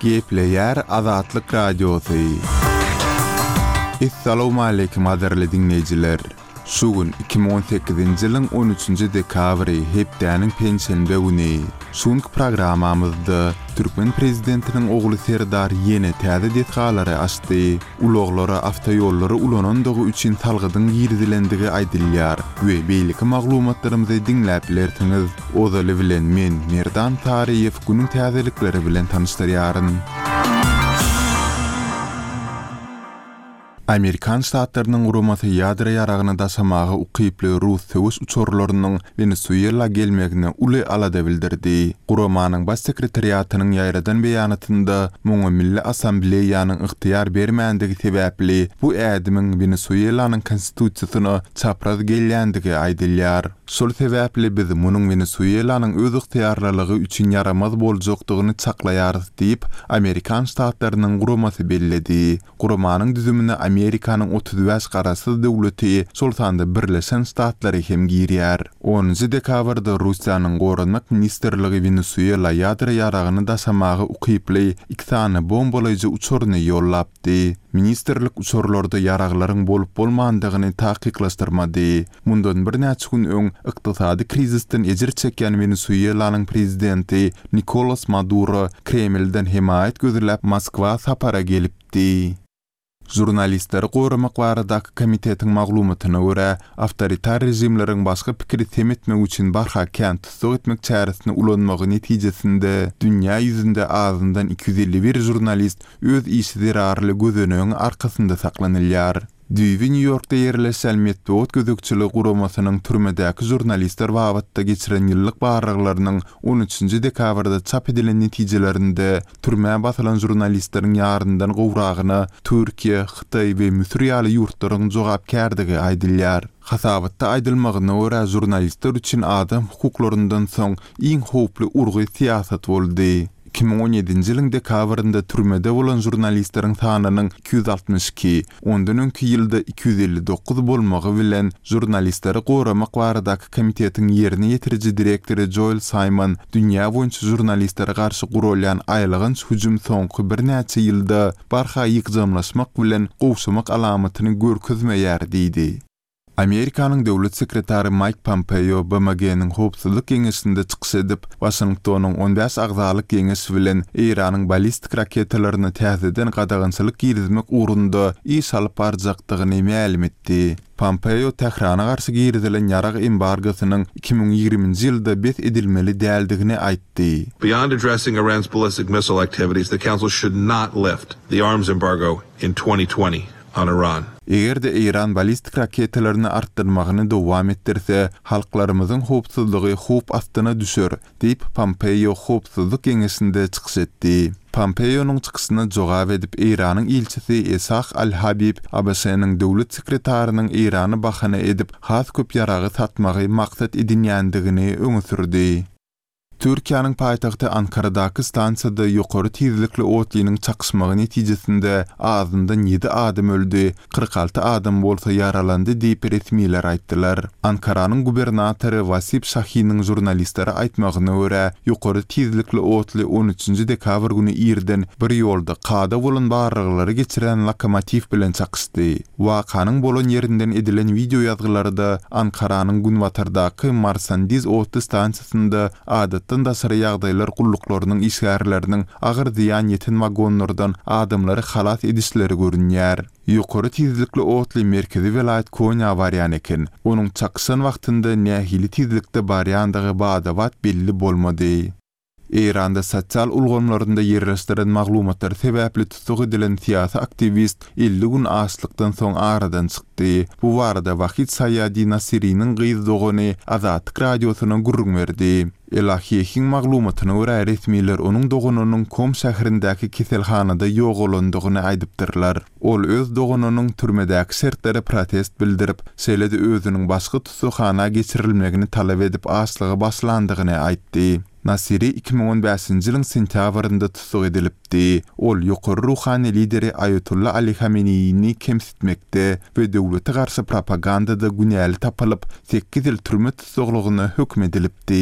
Gepleýär Azatlyk Radiosy. Essalawmaleýkim gadyrly diňleýjiler! Şu gün 2018-nji ýylyň on üçünji dekabry, hepdäniň penşenbe güni. Şu günki programmamyzda türkmen prezidentiniň ogly Serdar ýene täze desgalary açdy. Ulaglara awtoýollary ulanandygy üçin salgydyň girizilendigi aýdylýar we beýleki maglumatlarymyzy diňläp bilersiňiz. Ozaly bilen men, Merdan Saryýew günüň täzelikleri bilen tanyşdyrýaryn. Amerikan ştatlarynyň guramasy ýadro ýaragyny daşamaga ukyply rus söweş uçarlarynyň Wenesuela gelmegine uly alada bildirdi. Guramanyň Baş sekretariatynyň ýaýradan beýanatynda muňa Milli Assambleýanyň ygtyýar bermändigi sebäpli bu ädimiň Wenesuelanyň konstitusiýasyna çapraz gelýändigi aýdylýar. Şol sebäpli biz munuň Wenesuelanyň özygtyýarlylygy üçin ýaramaz boljakdygyny çaklaýarys diýip, Amerikan ştatlarynyň guramasy belledi. Guramanyň düzümine Amerikanyň 35 garaşsyz döwleti, şol sanda Birleşen Ştatlary hem girýär. Onunjy dekabrda Russiýanyň Goranmak ministrligi Wenesuela ýadro ýaragyny daşamaga ukyply iki sany bombalaýjy uçaryny ýollapdy. Ministrlik uçarlarda ýaraglaryň bolup-bolmandygyny takyklaşdyrmady. Mundan birnäçe gün öň ykdysady krizisden ejir çekýän Wenesuelanyň prezidenti Nikolas Maduro Kremlden hemaýat gözläp Moskwa sapara gelipdi. Žurnalistleri goramak baradaky komitetiň maglumatyna görä, awtoritar režimleriň başga pikiri sem etmek üçin barha kän tussag etmek çäresini ulanmagy netijesinde dünýä ýüzünde azyndan 251 žurnalist öz işi zerarly gözenegiň arkasynda saklanylýar. Düýbi Nýu-Ýorkda ýerleşýän Metbugat gözegçiligi guramasynyň türmedäki žurnalistler babatda geçiren ýyllyk barlaglarynyň on üçünji dekabrda çap edilen netijelerinde türmä basylan žurnalistleriň ýaryndan gowragyna Türkiýe, Hytaý we Müsür ýaly ýurtlaryň jogapkärdigi aýdylýar. Hasabatda aýdylmagyna görä, žurnalistler üçin adam hukuklaryndan soň iň howply urgy syýasat boldy. 2017-nji ýylyň dekabrynda türmede bolan žurnalistleriň sanynyň 262, ondan öňki ýylda 259 bolmagy bilen, Žurnalistleri goramak baradaky komitetiň ýerine ýetiriji direktory Joel Saýmon dünýä boýunça žurnalistlere garşy guralýan aýylganç hüjüm soňky birnäçe ýylda barha ýygjamlaşmak bilen gowşamak alamatyny görkezmeýär diýdi. Amerikanyň döwlet sekretary Maýk Pompeo BMG-niň Howpsuzlyk Geňeşinde çykyş edip, Waşingtonyň on bäş agzalyk geňeş bilen Eýranyň ballistik raketalaryna täzeden gadagançylyk girizmek ugrunda iş alyp barjakdygyny mälim etdi. Pompeo Tährana garşy girizilen ýarag embargosynyň 2020-nji ýylda bes edilmeli däldigini aýtdy. Beyond addressing Iran's ballistic missile activities, the Council should not lift the arms embargo in 2020 on Iran. Eger-de Eýran ballistik raketalaryny artdyrmagyny dowam etdirse, halklarymyzyň howpsuzlygy howp astyna düşer, diýip, Pompeo Howpsuzlyk Geňeşinde çykyş etdi. Pompeonyň çykyşyna jogap edip, Eýranyň ilçisi Esah al-Habib ABŞ-nyň döwlet sekretarynyň Eýrany bahana edip, has köp ýaragy satmagy maksat edinýändigini öňe sürdi. Türkiýäniň paýtagty Ankaradaky stansiýada ýokary tizlikli otlynyň çakyşmagy netijesinde azyndan ýedi adam öldi, 46 adam bolsa ýaralandy diýip, resmiler aýtdylar. Ankaranyň gubernatory Wasip Şahiniň žurnalistlere aýtmagyna görä, ýokary tizlikli otly on üçünji dekabr güni irden bir ýolda kada bolan barlaglary geçirýän lokomotiw bilen çakyşdy. Wakanyň bolan ýerinden edilen wideoýazgylarda Ankaranyň günbatardaky Marsandiz otly stansiýasynda adatdan daşary ýagdaýlar gulluklarynyň işgärleriniň agyr zyýan ýeten wagonlardan adamlary halas edişleri görünýär. Ýokary tizlikli otly merkezi welaýat Konýa barýan eken. Onuň çakyşan wagtynda nähili tizlikde barýandygy bada-bat belli bolmady. Eýranda sosial ulgamlarynda ýerleşdiren maglumatlary sebäpli tussag edilen syýasy aktiwist 50 gün açlykdan soň aradan çykdy. Bu barada Wahid Saýadi Nasiriniň gyz dogany Azatlyk Radiosyna gürrüň berdi. Elahiýehiň maglumatyna görä, resmiler onuň doganynyň Kom şäherindäki keselhanada ýogalandygyny aýdypdyrlar. Ol öz doganynyň türmedäki şertlere protest bildirip, şeýle-de özüniň başga tussaghana geçirilmegini talap edip açlyga başlandygyny aýtdy. Nasiri 2015-nji ýylyň sentýabrynda tussag edilipdi. Ol ýokary ruhany lideri Aýatolla Ali Hameneýini kemsitmekde we döwlete garşy propagandada günäli tapylyp, sekiz ýyl türme tussaglygyna höküm edilipdi.